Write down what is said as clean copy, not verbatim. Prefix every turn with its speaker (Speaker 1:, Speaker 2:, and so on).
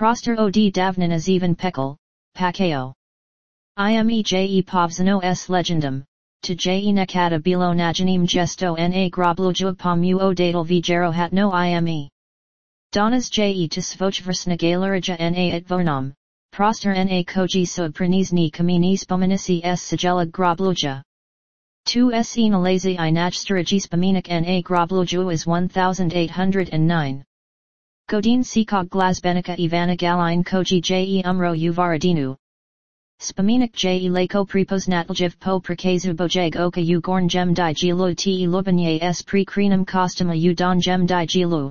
Speaker 1: Proster od davnina zeven pekel, pakeo. Ime je povzano s legendum, to je nekada bilo najanim gesto na grobluja pomuo datal vjero hatno ime. Donas je to svojversna galerija na etvernam, proster na koji sob prenizni kamini spomenisi s sigela grobluja. Tu se nalazi I najstariji spomenik na grobluja is 1809. Godin sikog glazbenika Ivana Galine koji je umro uvaradinu. Spomenik je lako prepoznatljiv po prikazu bojeg oka u gorn gem di gilu te lubanje s pre krenum kostuma u don gem di gilu.